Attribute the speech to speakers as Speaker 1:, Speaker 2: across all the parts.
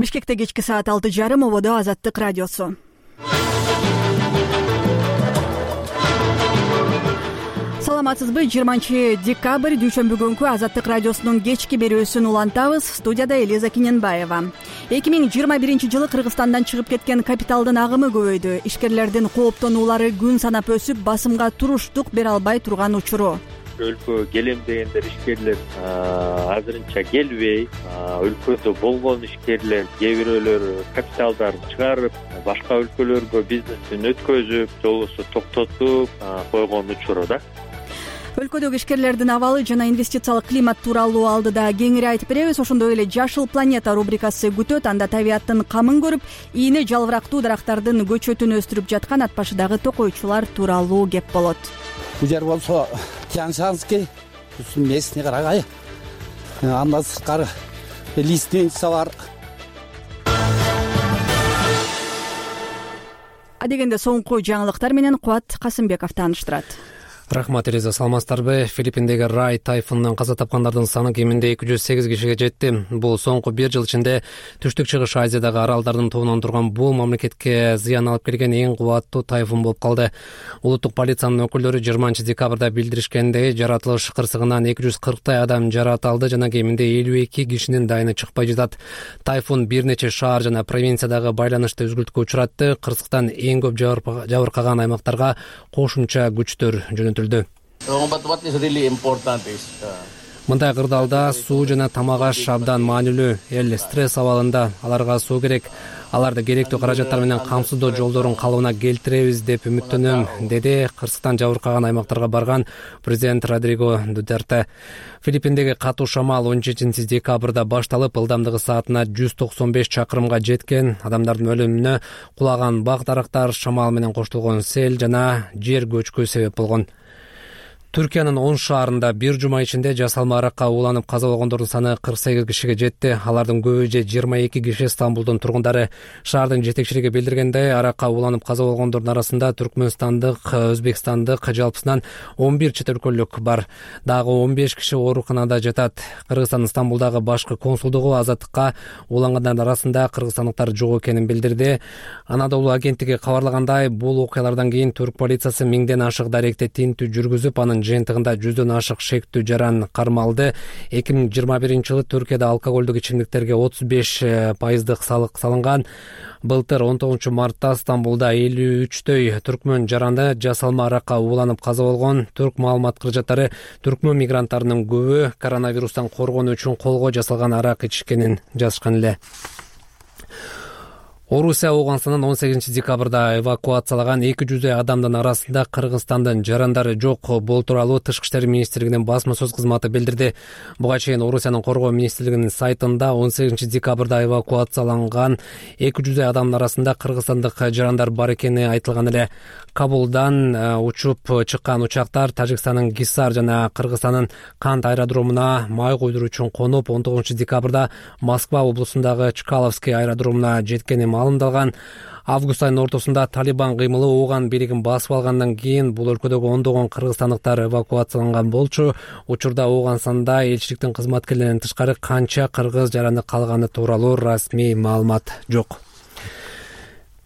Speaker 1: Бишкекте кечки саат 6:30 ободо Азаттык радиосу. Саламатсызбы? 20-декабрь дүйшөмбү күнкү Азаттык радиосунун кечки берүүсүн улантабыз. Студияда Элиза Киненбаева. 2021-жылы Кыргызстандан чыгып кеткен капиталдын агымы көбөйдү. Ишкерлердин кооптонуулары күн санап өсүп, басымга туруштук бере албай турган учуру.
Speaker 2: Өлкөгө келем дегендер ишкерлер азырынча келбей, өлкөдө болгон ишкерлер кээ бирөөлөр капиталдарын чыгарып, башка өлкөлөргө бизнесин өткөзүп, же болбосо токтотуп койгон учуру да.
Speaker 1: Өлкөдөгү ишкерлердин абалы жана инвестициялык климат тууралуу алдыда кеңири айтып беребиз. Ошондой эле Жашыл планета рубрикасы күтөт. Анда табияттын камын көрүп, ийне жалбырактуу дарактардын көчөтүн өстүрүп жаткан ат башыдагы токойчулар тууралуу кеп болот.
Speaker 3: Бул жер болсо Тяньшанский, местный карагай. Андан сырткары лиственница бар.
Speaker 1: Адегенде соңку жаңылыктар менен Кубат Касымбеков тааныштырат.
Speaker 4: Рахмат, Элиза. Саламатсыздарбы? Филиппиндеги Рай тайфунунан каза тапкандардын саны кеминде 208 кишиге жетти. Бул соңку 1 жыл ичинде Түштүк Чыгыш Азиядагы аралдардын тобунан турган бул мамлекетке зыян алып келген эң кубаттуу тайфун болуп калды. Улуттук полициянын өкүлдөрү 20-декабрда билдиришкендей, жаратылыш кырсыгынан 240 адам жаракат алды жана кеминде 52 кишинин дайыны чыкпай жатат. Тайфун бир нече шаар жана провинциядагы байланышты үзгүлтүккө учуратты. Кырсыктан эң көп жабыркаган аймактарга кошумча күчтөр жөнөтүлдү. Мындай кырдаалда суу жана тамак аш абдан маанилүү. Эл стресс абалында, аларга суу керек. Аларды керектүү каражаттар менен камсыздоо жолдорун калыбына келтиребиз деп үмүттөнөм, деди кырсыктан жабыркаган аймактарга барган президент Родриго Дутерте. Филиппиндеги катуу шамал 17 декабрда башталып, ылдамдыгы саатына 195 чакырымга жеткен. Адамдардын өлүмүнө кулаган бак дарактар, шамал менен коштолгон сел жана жер көчкү себеп болгон. Түркиянын 10 шаарында бир жума ичинде жасалма аракка ууланып каза болгондордун саны 48 кишиге жетти. Алардын көбү же 22 киши Стамбулдун тургундары. Шаардын жетекчилиги билдиргендей, аракка ууланып каза болгондордун арасында Түркмөнстандык, Өзбекстандык, жалпысынан 11 чет өлкөлүк бар. Дагы 15 киши ооруканада жатат. Кыргызстандын Стамбулдагы башкы консулдугу Азаттыкка уулангандардын арасында кыргызстандыктар жок экенин билдирди. Анадолу агенттиги кабарлагандай, бул окуялардан кийин түрк полициясы 1000ден ашык даректи тинтүү жүргүзүп, анын жыйынтыгында 100дөн ашык шектүү жаран кармалды. 2021-жылы Түркияда алкоголдук ичимдиктерге 35% салык салынган. Былтыр 19 мартта Стамбулда 53 түркмөн жаранды жасалма аракка ууланып каза болгон. Түрк маалымат кыржаттары түркмөн мигранттарынын көбү коронавирустан коргонуу үчүн колго жасалган арак ичишкенин жазышкан эле. Орусия Ауганстандан 18 декабрда эвакуациялаган 200 адамдын арасында Кыргызстандын жарандары жок. Бул тууралуу Тышкы иштер министрлигинин басма сөз кызматы билдирди. Буга чейин Орусиянын коргоо министрлигинин сайтында 18 декабрда эвакуацияланган 200 адамдын арасында кыргызстандык жарандар бар экени айтылган эле. Кабулдан учуп чыккан учактар Тажикстандын Гисар жана Кыргызстандын Кант аэродромуна май койдуруу үчүн конуп, 19 декабрда Москва облусундагы Чкаловский аэродромуна жеткени маалымдалган. Август айынын ортосунда Талибан кыймылы Ооган бийлигин басып алгандан кийин бул өлкөдөгү ондогон кыргызстандыктар эвакуацияланган болчу. Учурда Ооганстанда элчиликтин кызматкерлеринен тышкары канча кыргыз жараны калганы тууралуу расмий маалымат жок.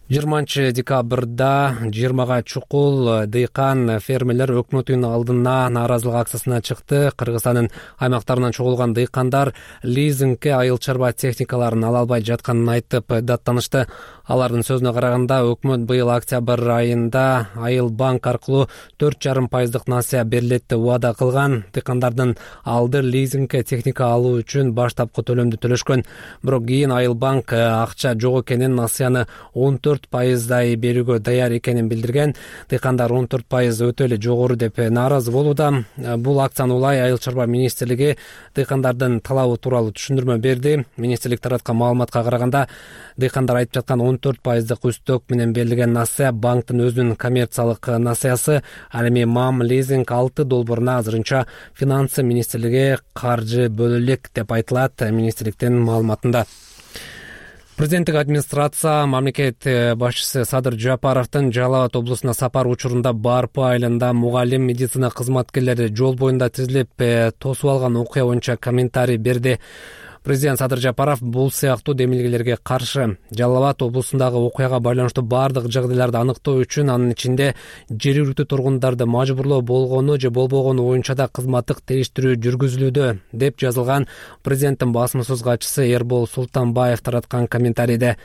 Speaker 4: 20 декабрда 20га чукул дыйкан фермерлер өкмөттүн алдына нааразылык акциясына чыкты. Кыргызстандын аймактарынан чогулган дыйкандар лизингке айыл чарба техникаларын ала албай жатканын айтып даттанышты. Алардын сөзүнө караганда, өкмөт быйыл октябрь айында Айыл банк аркылуу 4,5% насыя берилет деп убада кылган. Дыйкандардын алды лизингке техника алуу үчүн баштапкы төлөмдү төлөшкөн. Бирок кийин Айыл банк акча жок экенин, насыяны 14% берүүгө даяр экенин билдирген. Дыйкандар 14% өтө эле жогору деп нааразы болууда. Бул акцияны улай Айыл чарба министрлиги дыйкандардын талабы тууралуу түшүндүрмө берди. Министрлик тараткан маалыматка караганда, дыйкандар айтып жаткан 14% үстөк менен берилген насыя банктын өзүнүн коммерциялык насыясы. Ал эми МАМ лизинг 6 долбооруна азырынча финансы министрлиги каржы бөлө элек деп айтылат министрликтин маалыматында. Президенттик администрация мамлекет башчысы Садыр Жапаровдун Жалал Абад облусуна сапар учурунда Барпы айылында мугалим, медицина кызматкерлери жол боюнда тизилип тосуп алган окуя боюнча комментарий берди. Президент Садыр Жапаров бул сыяктуу демилгелерге каршы. Жалал Абад облусундагы окуяга байланыштуу бардык жагдайларды аныктоо үчүн, анын ичинде жергиликтүү тургундарды мажбурлоо болгону же болбогону боюнча да кызматтык териштирүү жүргүзүлүүдө, деп жазылган президенттин басма-сөз катчысы Эрбол Султанбаев тараткан комментарийде.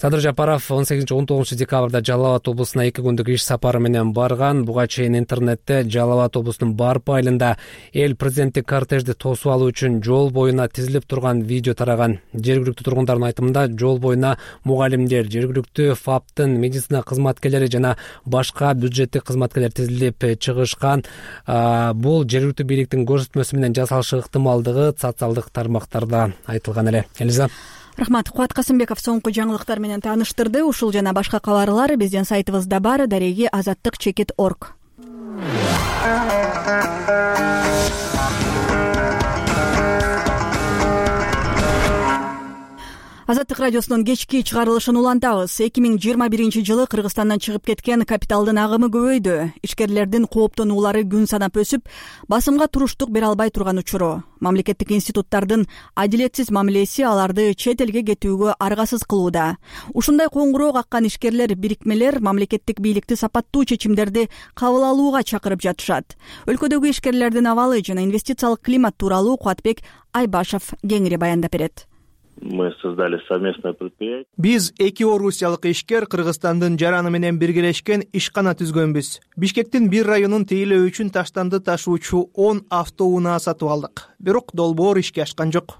Speaker 4: Садыр Жапаров 18-19 декабрда Жалал Абад облусуна 2 күндүк иш сапары менен барган. Буга чейин интернетте Жалал Абад облусунун Барп айылында эл президенттик кортежди тосуп алуу үчүн жол боюна тизилип турган видео тараган. Жергиликтүү тургундардын айтымында, жол боюна мугалимдер, жергиликтүү ФАПтын медицина кызматкерлери жана башка бюджеттик кызматкерлер тизилип чыгышкан. Бул жергиликтүү бийликтин көрсөтмөсү менен жасалышы ыктымалдыгы социалдык тармактарда айтылган эле. Элиза.
Speaker 1: Рахмат. Кубат Касымбеков соңку жаңылыктар менен тааныштырды. Ушул жана башка кабарлар биздин сайтыбызда бар. Дареги azаттык.org. Азаттык радиосунун кечки чыгарылышын улантабыз. 2021-жылы Кыргызстандан чыгып кеткен капиталдын агымы көбөйдү. Ишкерлердин кооптонуулары күн санап өсүп, басымга туруштук бере албай турган учуру. Мамлекеттик институттардын адилетсиз мамилеси аларды чет элге кетүүгө аргасыз кылууда. Ушундай коңгуроо каккан ишкерлер, бирикмелер мамлекеттик бийликти сапаттуу чечимдерди кабыл алууга чакырып жатышат. Өлкөдөгү ишкерлердин абалы жана инвестициялык климат тууралуу Кубатбек Айбашев кеңири баяндап берет.
Speaker 2: Мы создали совместное предприятие.
Speaker 5: Биз 2 орусиялык ишкер Кыргызстандын жараны менен биргелешкен ишкана түзгөнбүз. Бишкектин бир районун тейлөө үчүн таштанды ташуучу 10 автоунаа сатып алдык. Бирок долбоор ишке ашкан жок.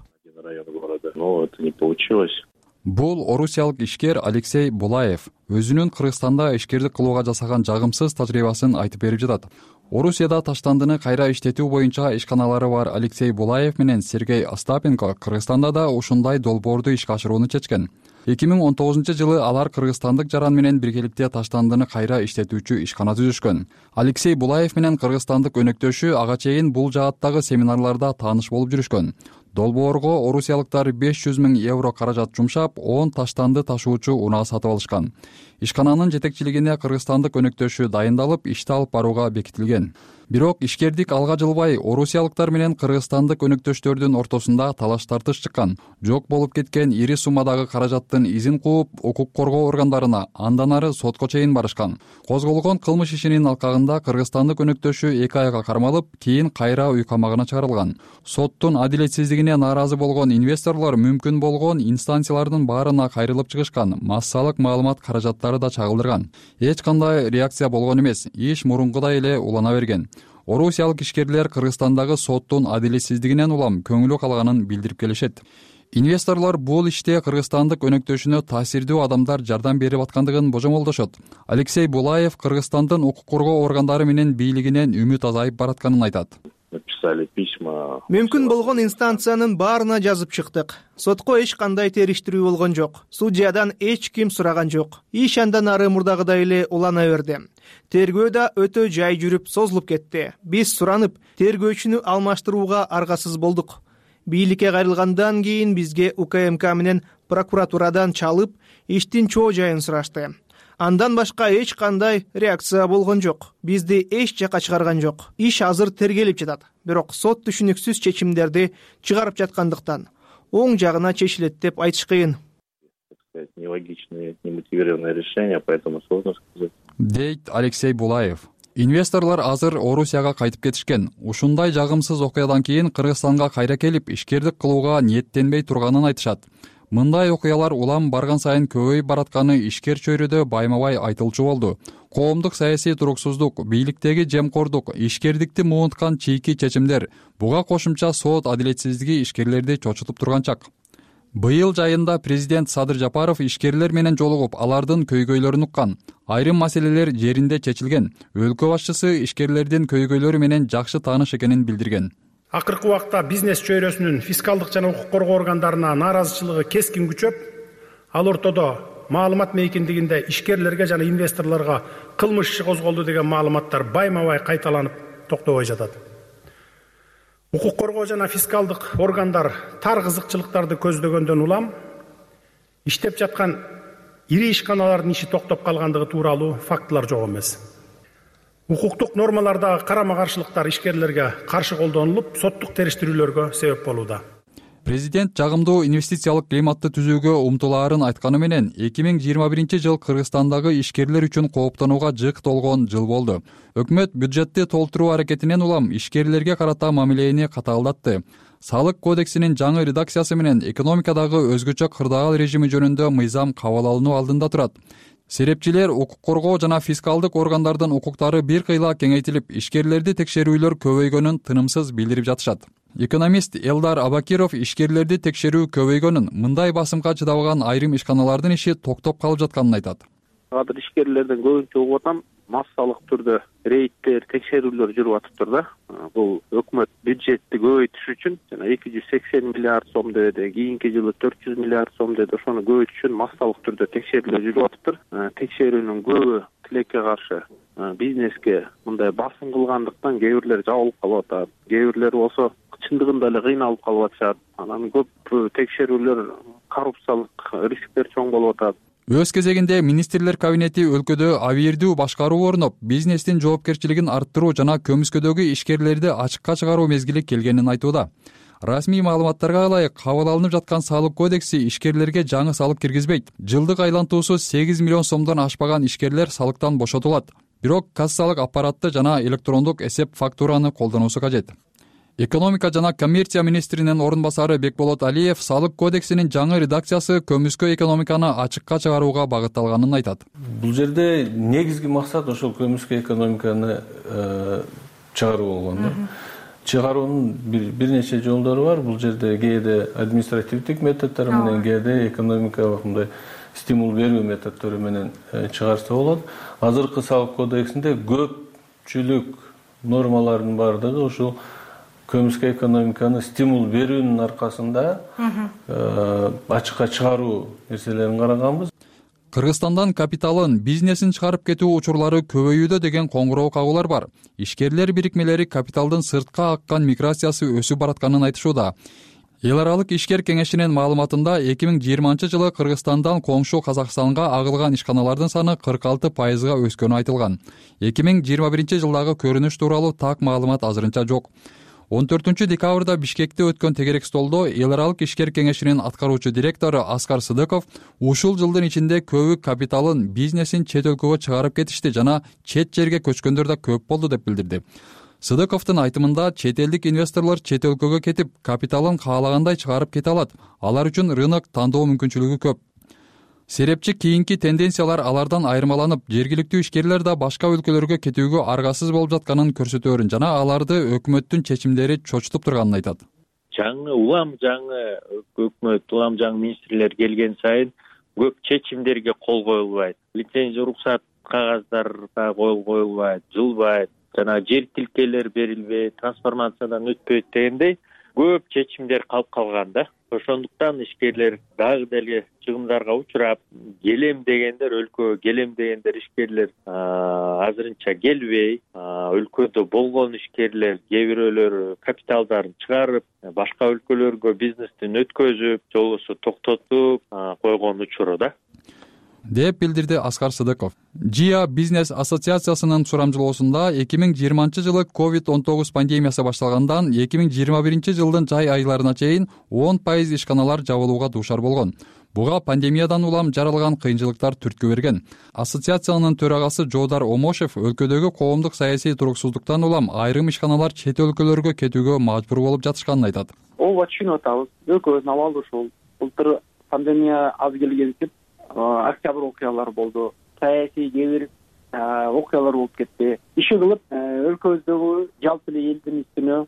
Speaker 2: Но это не получилось.
Speaker 6: Бул орусиялык ишкер Алексей Булаев өзүнүн Кыргызстанда ишкерлик кылууга жасаган жагымсыз тажрыйбасын айтып берип жатат. Орусияда таштандыны кайра иштетүү боюнча ишканалары бар Алексей Булаев менен Сергей Остапенко Кыргызстанда да ушундай долбоорду ишке ашырууну чечкен. 2019-жылы алар кыргызстандык жаран менен биргеликте таштандыны кайра иштетүүчү ишкана түзүшкөн. Алексей Булаев менен кыргызстандык өнөктөшү ага чейин бул жааттагы семинарларда тааныш болуп жүрүшкөн. Долбоорго орусиялыктар 500 000 евро каражат жумшап, 10 таштанды ташуучу унаа сатып алышкан. Ишкананын жетекчилигине кыргызстандык өнөктөшү дайындалып, ишти алып барууга бекитилген. Бирок ишкердик алга жылбай, орусиялыктар менен кыргызстандык өнөктөштөрдүн ортосунда талаш тартыш чыккан. Жок болуп кеткен ири суммадагы каражаттын изин кууп, укук коргоо органдарына, андан ары сотко чейин барышкан. Козголгон кылмыш ишинин алкагында кыргызстандык өнөктөшү 2 айга кармалып, кийин кайра үй камагына чыгарылган. Соттун адилетсиздигине нааразы болгон инвесторлор мүмкүн болгон инстанциялардын баарына кайрылып чыгышкан. Массалык маалымат каражаттары да чагылдырган. Эч кандай реакция болгон эмес. Иш мурункудай эле улана берген. Орусиялык ишкерлер Кыргызстандагы соттун адилетсиздигинен улам көңүлү калганын билдирип келишет. Инвесторлор бул иште кыргызстандык өнөктөшүнө таасирдүү адамдар жардам берип аткандыгын божомолдошот. Алексей Булаев Кыргызстандын укук коргоо органдары менен бийлигинен үмүт азайып баратканын айтат.
Speaker 2: Написали письма.
Speaker 5: Мүмкүн болгон инстанциянын баарына жазып чыктык. Сотко эч кандай териштирүү болгон жок. Судьядан эч ким сураган жок. Иш андан ары мурдагыдай эле улана берди. Тергөө да өтө жай жүрүп созулуп кетти. Биз суранып, тергөөчүнү алмаштырууга аргасыз болдук. Бийликке кайрылгандан кийин бизге УКМК менен прокуратурадан чалып, иштин чоо жайын сурашты. Андан башка эч кандай реакция болгон жок. Бизди эч жака чыгарган жок. Иш азыр тергелип жатат. Бирок сот түшүнүксүз чечимдерди чыгарып жаткандыктан оң жагына чечилет деп айтыш кыйын.
Speaker 2: Нелогичное, немотивированное решение, поэтому сложно сказать.
Speaker 6: Дейт Алексей Булаев. Инвесторлор азыр Орусияга кайтып кетишкен. Ушундай жагымсыз окуядан кийин Кыргызстанга кайра келип, ишкерлик кылууга ниеттенбей турганын айтышат. Мындай окуялар улам барган сайын көбөйүп баратканы ишкер чөйрөдө байма-бай айтылчу болду. Коомдук саясий туруксуздук, бийликтеги жемкордук, ишкердикти муунткан чийки чечимдер, буга кошумча сот адилетсиздиги ишкерлерди чочутуп турган чак. Быйыл жайында президент Садыр Жапаров ишкерлер менен жолугуп, алардын көйгөйлөрүн уккан. Айрым маселелер жеринде чечилген. Өлкө башчысы ишкерлердин көйгөйлөрү менен жакшы тааныш экенин билдирген.
Speaker 7: Акыркы убакта бизнес чөйрөсүнүн фискалдык жана укук коргоо органдарына нааразычылыгы кескин күчөп, ал ортодо маалымат мейкиндигинде ишкерлерге жана инвесторлорго кылмыш иши козголду деген маалыматтар байма-бай кайталанып токтобой жатат. Укук коргоо жана фискалдык органдар тар кызыкчылыктарды көздөгөндөн улам иштеп жаткан ири ишканалардын иши токтоп калгандыгы тууралуу фактылар жок эмес. Укуктук нормалардагы карама-каршылыктар ишкерлерге каршы колдонулуп, соттук териштирүүлөргө себеп болууда.
Speaker 6: Президент жагымдуу инвестициялык климатты түзүүгө умтулаарын айтканы менен 2021 жыл Кыргызстандагы ишкерлер үчүн кооптонууга жык толгон жыл болду. Өкмөт бюджетти толтуруу аракетинен улам ишкерлерге карата мамилени катаалдатты. Салык кодексинин жаңы редакциясы менен экономикадагы өзгөчө кырдаал режими жөнүндө мыйзам кабыл алынуу алдында турат. Серепчилер, укук коргоо жана фискалдык органдардын укуктары бир кыйла кеңейтилип, ишкерлерди текшерүүлөр көбөйгөнүн тынымсыз билдирип жатышат. Экономист Элдар Абакиров ишкерлерди текшерүү көбөйгөнүн, мындай басымга чыдабаган айрым ишканалардын иши токтоп калып жатканын айтат.
Speaker 8: Азыр ишкерлерден көбүнчө угуп атам, массалык түрдө рейдтер, текшерүүлөр жүрүп атыптыр да. Бул өкмөт бюджетти көбөйтүш үчүн жана 280 миллиард сом деди, кийинки жылы 400 миллиард сом деди. Ошону көбөйтүш үчүн массалык түрдө текшерүүлөр жүрүп атыптыр. Текшерүүнүн көбү тилекке каршы бизнеске мындай басым кылгандыктан кээ бирлер жабылып калып атат. Кээ бирлер болсо чындыгында эле кыйналып калып атышат. Анан көп текшерүүлөр коррупциялык рисктер чоң болуп атат.
Speaker 6: Өз кезегинде министрлер кабинети өлкөдө абийирдүү башкаруу орноп, бизнестин жоопкерчилигин арттыруу жана көмүскөдөгү ишкерлерди ачыкка чыгаруу мезгили келгенин айтууда. Расмий маалыматтарга ылайык, кабыл алынып жаткан салык кодекси ишкерлерге жаңы салык киргизбейт. Жылдык айлантуусу 8 миллион сомдон ашпаган ишкерлер салыктан бошотулат. Бирок кассалык аппаратты жана электрондук эсеп фактураны колдонуусу кажет. Экономика жана коммерция министринин орун басары Бекболот Алиев салык кодексинин жаңы редакциясы көмүскө экономиканы ачыкка чыгарууга багытталганын айтат.
Speaker 9: Бул жерде негизги максат ошол көмүскө экономиканы чыгаруу болгон да. Чыгаруунун бир нече жолдору бар. Бул жерде кээде административдик методдор менен, кээде экономикалык мындай стимул берүү методдору менен чыгарса болот. Азыркы салык кодексинде көпчүлүк нормалардын бардыгы ушул көмүскө экономиканы стимул берүүнүн аркасында ачыкка чыгаруу нерселерин караганбыз.
Speaker 6: Кыргызстандан капиталын, бизнесин чыгарып кетүү учурлары көбөйүүдө деген коңгуроо кагуулар бар. Ишкерлер бирикмелери капиталдын сыртка аккан миграциясы өсүп баратканын айтышууда. Эл аралык ишкер кеңешинин маалыматында 2020 жылы Кыргызстандан коңшу Казакстанга агылган ишканалардын саны 46%га өскөнү айтылган. 2021 жылдагы көрүнүш тууралуу так маалымат азырынча жок. 14 декабрда Бишкекте өткөн тегерек столдо эл аралык ишкер кеңешинин аткаруучу директору Аскар Сыдыков ушул жылдын ичинде көбү капиталын, бизнесин чет өлкөгө чыгарып кетишти жана чет жерге көчкөндөр да көп болду деп билдирди. Сыдыковдун айтымында чет элдик инвесторлор чет өлкөгө кетип, капиталын каалагандай чыгарып кете алат. Алар үчүн рынок тандоо мүмкүнчүлүгү көп. Серепчи кийинки тенденциялар алардан айырмаланып, жергиликтүү ишкерлер да башка өлкөлөргө кетүүгө аргасыз болуп жатканын көрсөтөөрүн жана аларды өкмөттүн чечимдери чочутуп турганын айтат.
Speaker 2: Улам жаңы өкмөт, улам жаңы министрлер келген сайын көп чечимдерге кол коюлбайт. Лицензия уруксат кагаздарга кол коюлбайт, жылбайт, жана жер тилкелер берилбейт, трансформациядан өтпөйт дегендей көп чечимдер калып калган да. Ошондуктан ишкерлер дагы деле чыгымдарга учурап, келем дегендер өлкөгө келем дегендер ишкерлер азырынча келбей, өлкөдө болгон ишкерлер кээ бирөөлөр капиталдарын чыгарып, башка өлкөлөргө бизнестин өткөзүп, же болбосо токтотуп койгон учуру да.
Speaker 6: деп билдирди Аскар Сыдыков. ЖИА бизнес ассоциациясынын сурамжылоосунда 2020 жылы COVID-19 пандемиясы башталгандан 2021 жылдын жай айларына чейин 10% ишканалар жабылууга дуушар болгон. Буга пандемиядан улам жаралган кыйынчылыктар түрткү берген. Ассоциациянын төрагасы Жоодар Омошев өлкөдөгү коомдук саясий туруксуздуктан улам айрым ишканалар чет өлкөлөргө кетүүгө мажбур болуп жатышканын айтат.
Speaker 8: Ооба түшүнүп атабыз. Өлкөбүздүн абалы ушул. Былтыр пандемия аз келгенсип октябрь окуялары болду. Саясий кээ бир окуялар болуп кетти. Иши кылып өлкөбүздөгү жалпы эле элдин үстүнө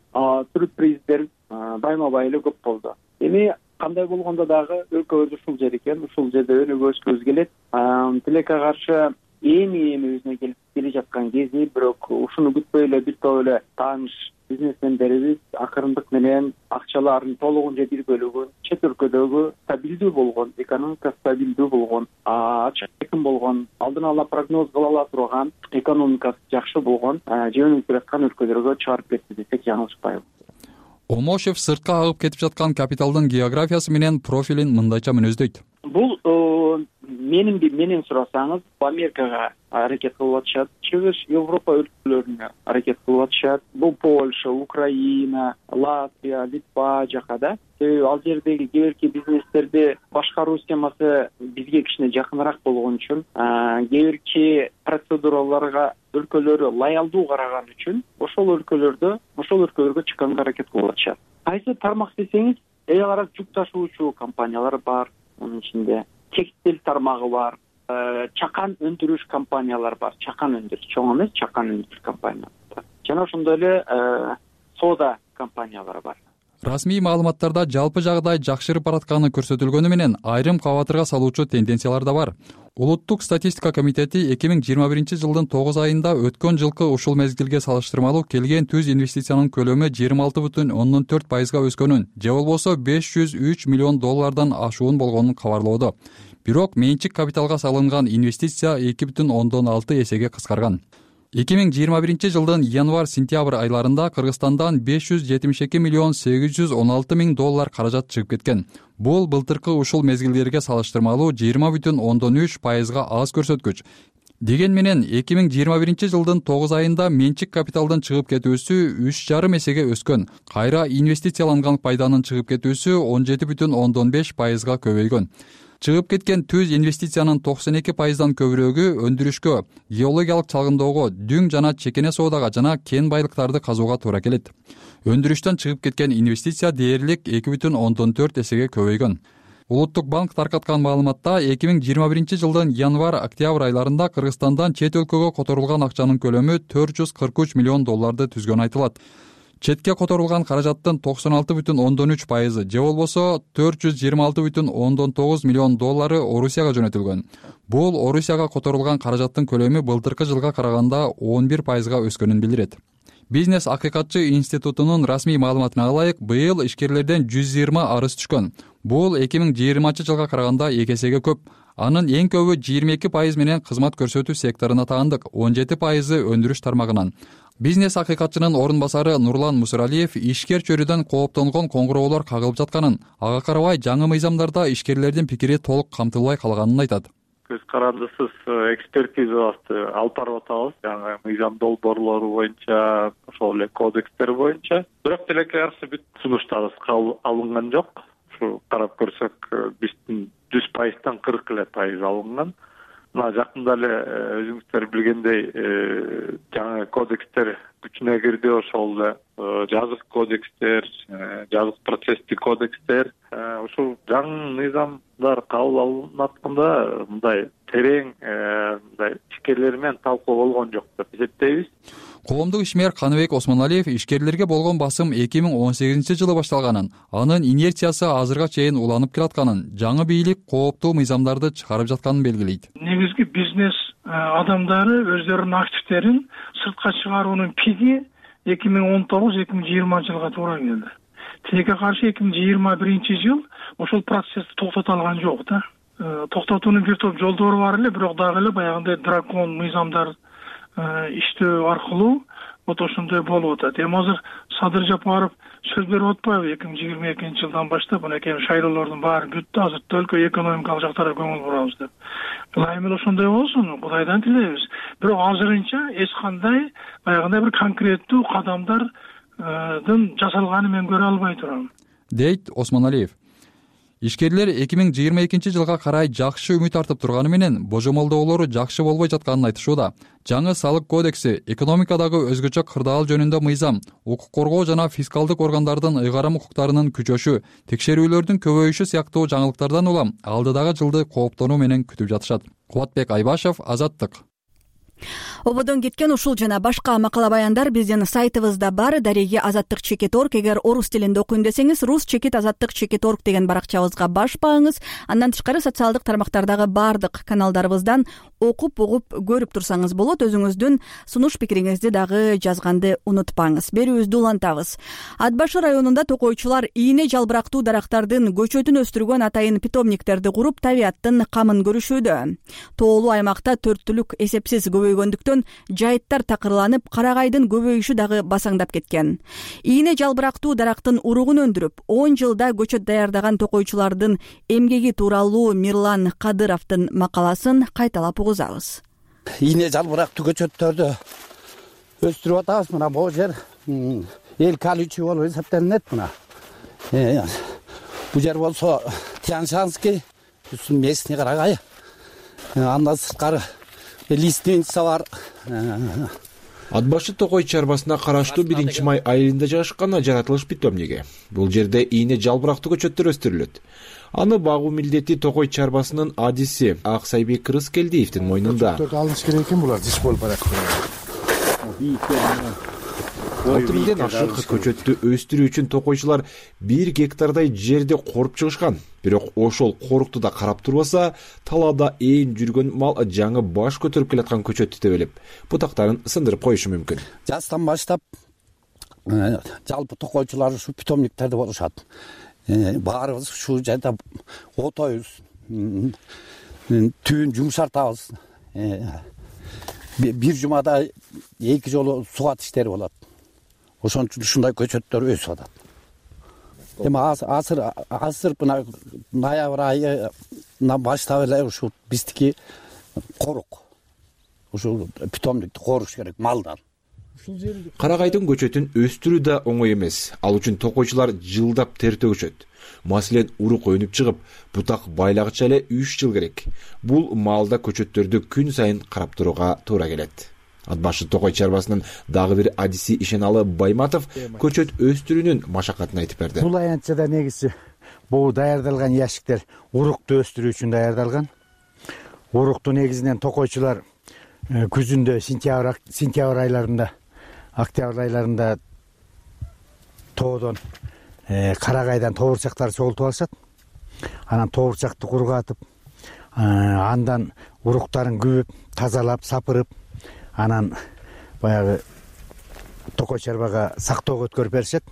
Speaker 8: сюрприздер байма-бай эле көп болду. Эми кандай болгондо дагы өлкөбүз ушул жер экен, ушул жерде өнүгүшкүбүз келет. Тилекке каршы эми өзүнө келе жаткан кези, бирок ушуну күтпөй эле бир топ эле тааныш бизнесмендерибиз акырындык менен акчалардын толугунча бир бөлүгүн чет өлкөдөгү стабилдүү болгон, экономика стабилдүү болгон, ачык эркин болгон, алдын ала прогноз кыла ала турган, экономикасы жакшы болгон, жөнүнүп келаткан өлкөлөргө чыгарып кетти десек жаңылышпайбыз.
Speaker 6: Омошев сыртка агып кетип жаткан капиталдын географиясы менен профилин мындайча мүнөздөйт.
Speaker 8: Бул менен сурасаңыз, Америкага аракет кылып атышат, чыгыш Европа өлкөлөрүнө аракет кылып атышат. Бул Польша, Украина, Латвия, Литва жака да. Себеби ал жердеги кээ бирки бизнестерди башкаруу системасы бизге кичине жакыныраак болгон үчүн, кээ бирки процедураларга өлкөлөрү лоялдуу караган үчүн ошол өлкөлөргө чыкканга аракет кылып атышат. Кайсы тармак десеңиз, эл аралык жүк ташуучу компаниялар бар, анын ичинде текстиль тармагы бар, чакан өндүрүш компаниялар бар. Чакан өндүрүш, чоң эмес, чакан өндүрүш компаниялар бар. Жана ошондой эле соода компаниялары бар.
Speaker 6: Расмий маалыматтарда жалпы жагдай жакшырып баратканы көрсөтүлгөнү менен айрым кабатырга салуучу тенденциялар да бар. Улуттук статистика комитети 2021 жылдын 9 айында өткөн жылкы ушул мезгилге салыштырмалуу келген түз инвестициянын көлөмү 26,4%га өскөнүн, же болбосо $503 миллион ашуун болгонун кабарлоодо. Бирок менчик капиталга салынган инвестиция 2,6 эсеге кыскарган. 2021 жылдын январь-сентябрь айларында Кыргызстандан $572 миллион $816 миң каражат чыгып кеткен. Бул былтыркы ушул мезгилдерге салыштырмалуу 20,3%га аз көрсөткүч. Деген менен 2021 жылдын 9 айында менчик капиталдын чыгып кетүүсү 3,5 эсеге өскөн. Кайра инвестицияланган пайданын чыгып кетүүсү 17,5%га көбөйгөн. Чыгып кеткен түз инвестициянын 92%дан көбүрөгү өндүрүшкө, геологиялык чалгындоого, дүң жана чекене соодага жана кен байлыктарды казууга туура келет. Өндүрүштөн чыгып кеткен инвестиция дээрлик 2,4 эсеге көбөйгөн. Улуттук банк таркаткан маалыматта 2021 жылдын январь-октябрь айларында Кыргызстандан чет өлкөгө которулган акчанын көлөмү $443 миллион түзгөнү айтылат. Четке которулган каражаттын 96,3%, же болбосо $426,9 миллион Орусияга жөнөтүлгөн. Бул Орусияга которулган каражаттын көлөмү былтыркы жылга караганда 11%га өскөнүн билдирет. Бизнес акыйкатчы институтунун расмий маалыматына ылайык, быйыл ишкерлерден 120 арыз түшкөн. Бул 2020 жылга караганда 2 эсеге көп. Анын эң көбү 22% менен кызмат көрсөтүү секторуна таандык, 17% өндүрүш тармагынан. Бизнес акыйкатчынын орун басары Нурлан Мусуралиев ишкер чөрүдөн кооптонгон коңгуроолор кагылып жатканын, ага карабай жаңы мыйзамдарда ишкерлердин пикири толук камтылбай калганын айтат.
Speaker 2: Көз карандысыз экспертизабызды алып барып атабыз, жаңы мыйзам долбоорлору боюнча, ошол эле кодекстер боюнча. Бирок тилекке каршы бүт сунуштарыбыз алынган жок. Ушу карап көрсөк, биздин 100%дан 40% алынган. Мына жакында эле өзүңүздөр билгендей, жаңы кодекстер күчүнө кирди, ошол эле жазык кодекстер, жазык процесстик кодекстер. Ушул жаңы мыйзамдар кабыл алынатканда мындай терең мындай ишкерлер менен талкуу болгон жок деп эсептейбиз.
Speaker 6: Коомдук ишмер Каныбек Осмоналиев ишкерлерге болгон басым 2018 жылы башталганын, анын инерциясы азырга чейин уланып келатканын, жаңы бийлик кооптуу мыйзамдарды чыгарып жатканын белгилейт.
Speaker 10: Негизги бизнес адамдары өздөрүнүн активтерин сыртка чыгаруунун пиги 2019-2020 жылга туура келди. Тилекке каршы 2021 жыл ошол процессти токтото алган жок да. Токтотуунун бир топ жолдору бар эле, бирок дагы эле баягындай дракон мыйзамдар иштөө аркылуу вот ошондой болуп атат. Эми азыр Садыр Жапаров сөз берип атпайбы 2022 жылдан баштап мынакей шайлоолордун баары бүттү, азыр только экономикалык жактарга көңүл бурабыз деп. Ылайым эле ошондой болсун, Кудайдан тилейбиз. Бирок азырынча эч кандай баягындай бир конкреттүү кадамдардын жасалганын мен көрө албай турам,
Speaker 6: дейт Осмоналиев. Ишкерлер 2022 жылга карай жакшы үмүт артып турганы менен божомолдоолору жакшы болбой жатканын айтышууда. Жаңы салык кодекси, экономикадагы өзгөчө кырдаал жөнүндө мыйзам, укук коргоо жана фискалдык органдардын ыйгарым укуктарынын күчөшү, текшерүүлөрдүн көбөйүшү сыяктуу жаңылыктардан улам алдыдагы жылды кооптонуу менен күтүп жатышат. Кубатбек Айбашев, Азаттык.
Speaker 1: Ободон кеткен ушул жана башка макала баяндар биздин сайтыбызда бар. Дареги azattik.org. Эгер орус тилинде окуйм десеңиз, rus-azattik.org деген баракчабызга баш багыңыз. Андан тышкары социалдык тармактардагы бардык каналдарыбыздан окуп, угуп, көрүп турсаңыз болот. Өзүңүздүн сунуш пикириңизди дагы жазганды унутпаңыз. Берүүбүздү улантабыз. Ат башы районунда токойчулар ийне жалбырактуу дарактардын көчөтүн өстүргөн атайын питомниктерди куруп, табияттын камын көрүшүүдө. Тоолуу аймакта төрттүлүк эсепсиз көбөйгөндүктөн көрүнбөгөн жайыттар такырланып, карагайдын көбөйүшү дагы басаңдап кеткен. Ийне жалбырактуу дарактын уругун өндүрүп 10 жылда көчөт даярдаган токойчулардын эмгеги тууралуу Мирлан Кадыровдун макаласын кайталап угузабыз.
Speaker 3: Ийне жалбырактуу көчөттөрдү өстүрүп атабыз. Мына бул жер эл колючий болуп эсептелинет. Мына бул жер болсо Тяньшанский, местный карагай. Андан сырткары лиственница бар.
Speaker 11: Ат башы Токой чарбасына караштуу 1-май айылында жайгашкан жаратылыш питомниги. Бул жерде ийне жалбырактуу көчөттөр өстүрүлөт. Аны багуу милдети Токой чарбасынын адиси Аксайбек Рыскелдиевдин мойнунда.
Speaker 12: Алыныш керек экен, булар жиш болуп барат.
Speaker 11: 6 миңден ашык көчөттү өстүрүү үчүн токойчулар 1 гектардай жерди коруп чыгышкан. Бирок ошол корукту да карап турбаса, талаада ээн жүргөн мал жаңы баш көтөрүп келаткан көчөттү тебелеп, бутактарын сындырып коюшу мүмкүн.
Speaker 3: Жастан баштап жалпы токойчулар ушу питомниктерде болушат. Баарыбыз ушу жерде отойбуз, түбүн жумшартабыз. Бир жумада 2 жолу сугат иштери болот. Ошон үчүн ушундай көчөттөр өсүп атат. Эми азыр мына ноябрь айынан баштап эле ушу биздики корук. Ушу питомникти коруш керек малдан.
Speaker 11: Карагайдын көчөтүн өстүрүү да оңой эмес. Ал үчүн токойчулар жылдап тер төгүшөт. Маселен, урук өнүп чыгып, бутак байлагыча эле 3 жыл керек. Бул маалда көчөттөрдү күн сайын карап турууга туура келет. Ат башы Токой чарбасынын дагы бир адиси Ишеналы Байматов көчөт өстүрүүнүн машакатын айтып берди.
Speaker 12: Бул аянтчада негизи бул даярдалган яшиктер урукту өстүрүү үчүн даярдалган. Урукту негизинен токойчулар күзүндө сентябрь айларында, октябрь айларында тоодон карагайдан тоорчактар согултуп алышат. Анан тоорчакты кургатып, андан уруктарын күбүп, тазалап, сапырып, анан баягы Токой чарбага сактоого өткөрүп беришет.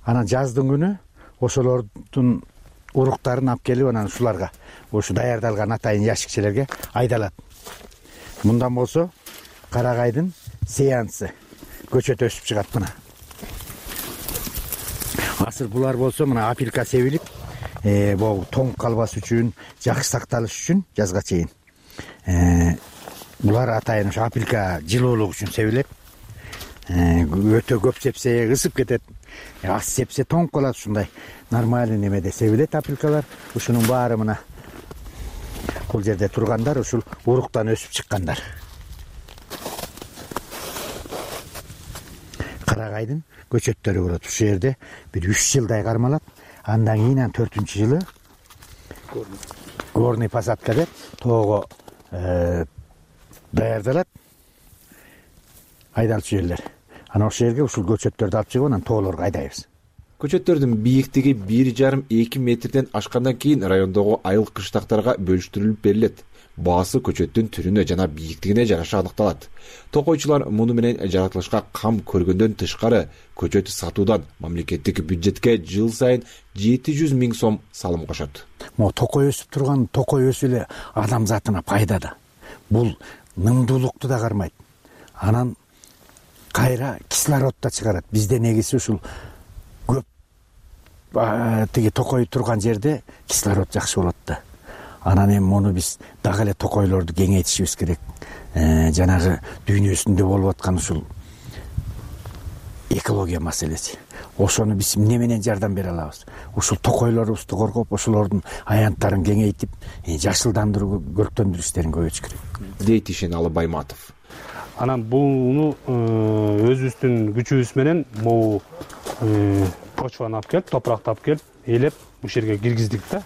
Speaker 12: Анан жаздын күнү ошолордун уруктарын алып келип, анан ушуларга, ушу даярдалган атайын яшикчелерге айдалат. Мындан болсо карагайдын сеансы көчөт өсүп чыгат мына. Азыр булар болсо мына апилка себилип, бул тоңуп калбас үчүн, жакшы сакталыш үчүн жазга чейин. Булар атайын ушу апилка жылуулук үчүн себилет. Өтө көп сепсе ысып кетет. Аз сепсе тоңуп калат, ушундай нормальный немеде себилет апилкалар. Ушунун баары мына бул жерде тургандар ушул уруктан өсүп чыккандар. Карагайдын көчөттөрү болот. Ушул жерде бир 3 жылдай кармалат. Андан кийин 4-жылы горный посадка деп тоого даярдалат. Айдалчу жерлер. Анан ошол жерге ушул көчөттөрдү алып чыгып, анан тоолорго айдайбыз.
Speaker 11: Көчөттөрдүн бийликтиги 1,5-2 метрден ашкандан кийин райондогу айыл кыштактарга бөлүштүрүлүп берилет. Баасы көчөттүн түрүнө жана бийиктигине жараша аныкталат. Токойчулар муну менен жаратылышка кам көргөндөн тышкары көчөт сатуудан мамлекеттик бюджетке жыл сайын 700 000 сом салым кошот.
Speaker 12: Могу токой өсүп турган, токой өсүп эле адам затына пайда да. Бул нымдуулукту да кармайт. Анан кайра кислород да чыгарат. Бизде негизи ушул көп тиги токой турган жерде кислород жакшы болот да. Анан эми муну биз дагы эле токойлорду кеңейтишибиз керек. Жанагы дүйнөсүндө болуп аткан ушул экология маселеси. Ошону биз эмне менен жардам бере алабыз? Ушул токойлорубузду коргоп, ошолордун аянттарын кеңейтип, жашылдандыруу, көрктөндүрүү иштерин көбөйтүш керек.
Speaker 11: Дейт Ишеналы Байматов.
Speaker 7: Анан буну өзүбүздүн күчүбүз менен могу почваны алып келип, топуракты алып келип, ээлеп бул жерге киргиздик да.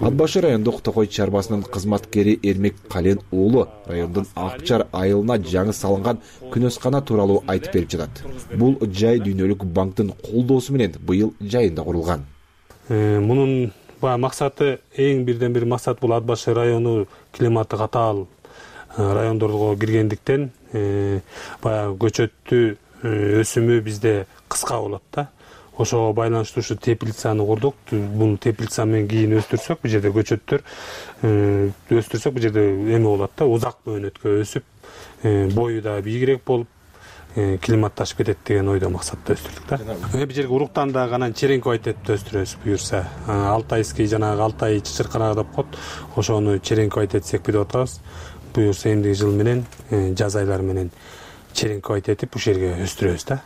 Speaker 11: Ат башы райондук Токой чарбасынын кызматкери Эрмек Кален уулу райондун Акчар айылына жаңы салынган күнөскана тууралуу айтып берип жатат. Бул жай дүйнөлүк банктын колдоосу менен быйыл жайында курулган.
Speaker 7: Мунун максаты, эң бирден бир максат бул Ат башы району климаты катаал райондорго киргендиктен баягы көчөттүү өсүмү бизде кыска болот да.
Speaker 13: ошого байланыштуу ушу теплицаны курдук. Бул теплица менен кийин өстүрсөк, бул жерде көчөттөр өстүрсөк, бул жерде эме болот да, узак мөөнөткө өсүп, бою да бийигирээк болуп, климатташып кетет деген ойдо максатта өстүрдүк да. Бул жерге уруктан да анан черенковать этип өстүрөбүз буюрса. Алтайский жанагы Алтай чычырканак деп коет. Ошону черенковать этсек деп атабыз. Буюрса эмдиги жыл менен жаз айлары менен черенковать этип ушул жерге өстүрөбүз да.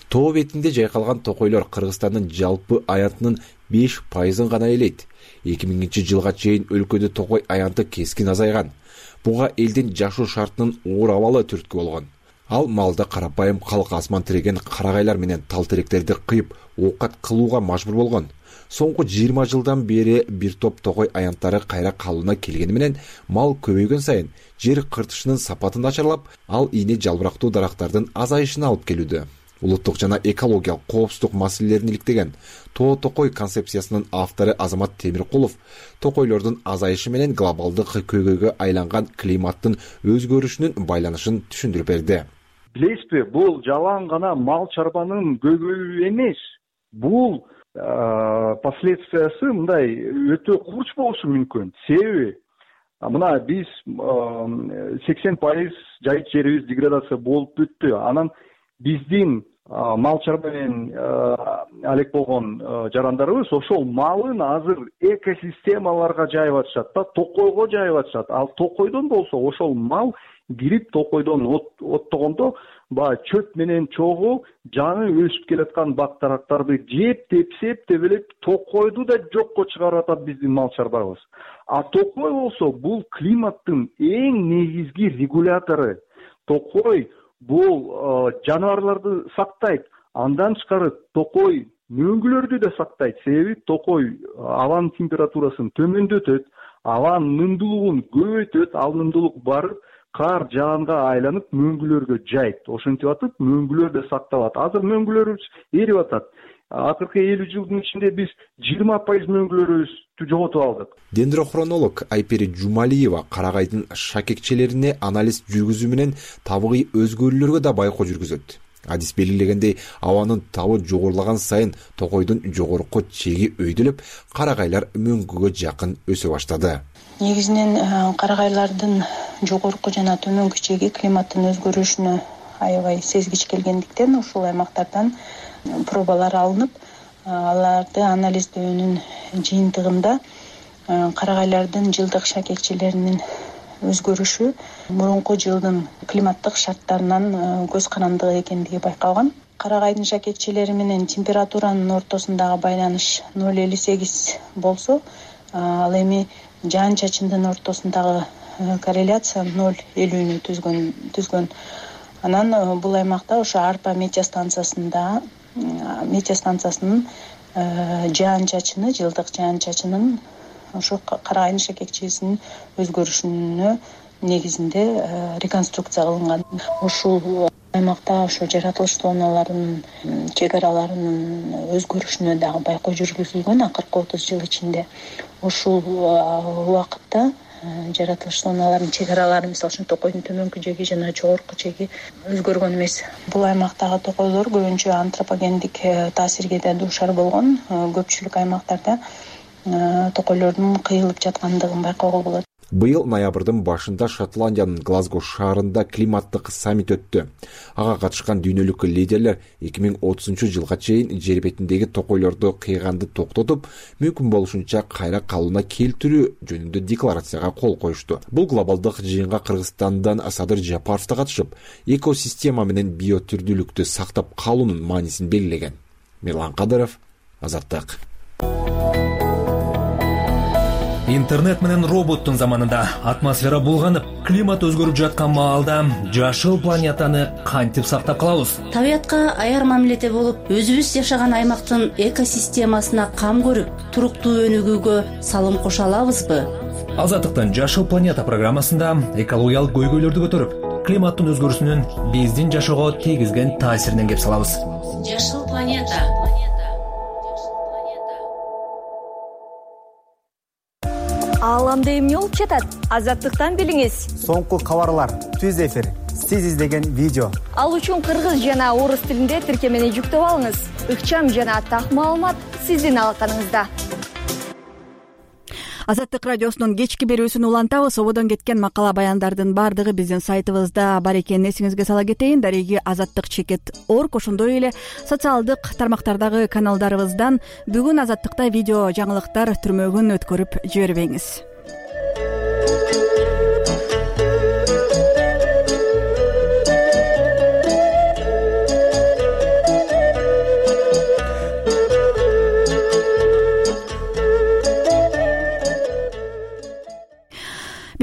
Speaker 11: Тоо бетинде жайкалган токойлор Кыргызстандын жалпы аянтынын 5% гана ээлейт. 2000-жылга чейин өлкөдө токой аянты кескин азайган. Буга элдин жашоо шартынын оор абалы түрткү болгон. Ал малда карапайым калк асман тиреген карагайлар менен тал теректерди кыйып оокат кылууга мажбур болгон. Соңку 20 жылдан бери бир топ токой аянттары кайра калууна келгени менен мал көбөйгөн сайын жер кыртышынын сапатын начарлап, ал ийне жалбырактуу дарактардын азайышына алып келүүдө. Улуттук жана экологиялык коопсуздук маселелерин иликтеген Тоо токой концепциясынын автору Азамат Темиркулов токойлордун азайышы менен глобалдык көйгөйгө айланган климаттын өзгөрүшүнүн байланышын түшүндүрүп берди.
Speaker 14: Билесизби, бул жалаң гана мал чарбанын көйгөйү эмес. Бул последствиясы мындай өтө курч болушу мүмкүн. Себеби мына биз 80% жайыт жерибиз деградация болуп бүттү. Анан биздин мал чарба менен алек болгон жарандарыбыз ошол малын азыр экосистемаларга жайып атышат да, токойго жайып атышат. Ал токойдон болсо ошол мал кирип токойдон оттогондо баягы чөп менен чогуу жаңы өсүп келаткан бак дарактарды жеп, тепсеп, тебелеп токойду да жокко чыгарып атат биздин мал чарбабыз. А токой болсо бул климаттын эң негизги регулятору. Токой бул жаныбарларды сактайт. Андан тышкары токой мөңгүлөрдү да сактайт. Себеби токой абанын температурасын төмөндөтөт, абанын нымдуулугун көбөйтөт, ал нымдуулук барып кар жаанга айланып мөңгүлөргө жайт. Ошентип атып мөңгүлөр да сакталат. Азыр мөңгүлөрүбүз эрип атат. Акыркы 50 жылдын ичинде биз 20% мөңгүлөрүбүздү жоготуп алдык.
Speaker 11: Дендрохронолог Айпери Жумалиева карагайдын шакекчелерине анализ жүргүзүү менен табигый өзгөрүүлөргө да байкоо жүргүзөт. Адис белгилегендей, абанын табы жогорулаган сайын токойдун жогорку чеги өйдөлөп, карагайлар мөңгүгө жакын өсө баштады.
Speaker 15: Негизинен карагайлардын жогорку жана төмөнкү чеги климаттын өзгөрүшүнө аябай сезгич келгендиктен ушул аймактардан пробалар алынып, аларды анализдөөнүн жыйынтыгында карагайлардын жылдык шакекчелеринин өзгөрүшү мурунку жылдын климаттык шарттарынан көз карандыгы экендиги байкалган. Карагайдын шакекчелери менен температуранын ортосундагы байланыш 0,58 болсо, ал эми жаан-чачындын ортосундагы корреляция 0,50 түзгөн. Анан бул аймакта ошо арпа метеостанциясынын жаан-чачыны, жылдык жаан-чачынын ошо карагайдын шакекчесинин өзгөрүшүнө негизинде реконструкция кылынган. Ушул аймакта ошо жаратылыш зоналарынын чек араларынын өзгөрүшүнө дагы байкоо жүргүзүлгөн акыркы 30 жыл ичинде. Ушул убакытта жаратылыш зоналарынын чек аралары, мисалы үчүн токойдун төмөнкү чеги жана жогорку чеги өзгөргөн эмес. Бул аймактагы токойлор көбүнчө антропогендик таасирге да дуушар болгон. Көпчүлүк аймактарда токойлордун кыйылып жаткандыгын байкоого болот.
Speaker 11: Быйыл ноябрдын башында Шотландиянын Глазго шаарында климаттык саммит өттү. Ага катышкан дүйнөлүк лидерлер 2030 жылга чейин жер бетиндеги токойлорду кыйганды токтотуп, мүмкүн болушунча кайра калууна келтирүү жөнүндө декларацияга кол коюшту. Бул глобалдык жыйынга Кыргызстандан Садыр Жапаров да катышып, экосистема менен биотүрдүүлүктү сактап калуунун маанисин белгилеген. Мирлан Кадыров, Азаттык.
Speaker 16: Интернет менен роботтун заманында атмосфера булганып, климат өзгөрүп жаткан маалда жашыл планетаны кантип сактап калабыз?
Speaker 17: Табиятка аяр мамиледе болуп, өзүбүз жашаган аймактын экосистемасына кам көрүп, туруктуу өнүгүүгө салым кошо алабызбы?
Speaker 16: Азаттыктын Жашыл планета программасында экологиялык көйгөйлөрдү көтөрүп, климаттын өзгөрүүсүнүн биздин жашоого тийгизген таасиринен кеп салабыз.
Speaker 17: Жашыл планета.
Speaker 18: Ааламды эмне болуп жатат? Азаттыктан билиңиз.
Speaker 19: Соңку кабарлар, түз эфир,
Speaker 18: сиз издеген видео.
Speaker 19: Ал үчүн кыргыз жана орус тилинде тиркемени жүктөп алыңыз. Ыкчам жана так маалымат сиздин алаканыңызда.
Speaker 1: Азаттык радиосунун кечки берүүсүн улантабыз. Ободон кеткен макала баяндардын баардыгы биздин сайтыбызда бар экенин эсиңизге сала кетейин. Дареги azattik.org, ошондой эле социалдык тармактардагы каналдарыбыздан бүгүн Азаттыкта видео жаңылыктар түрмөгүн өткөрүп жибербеңиз.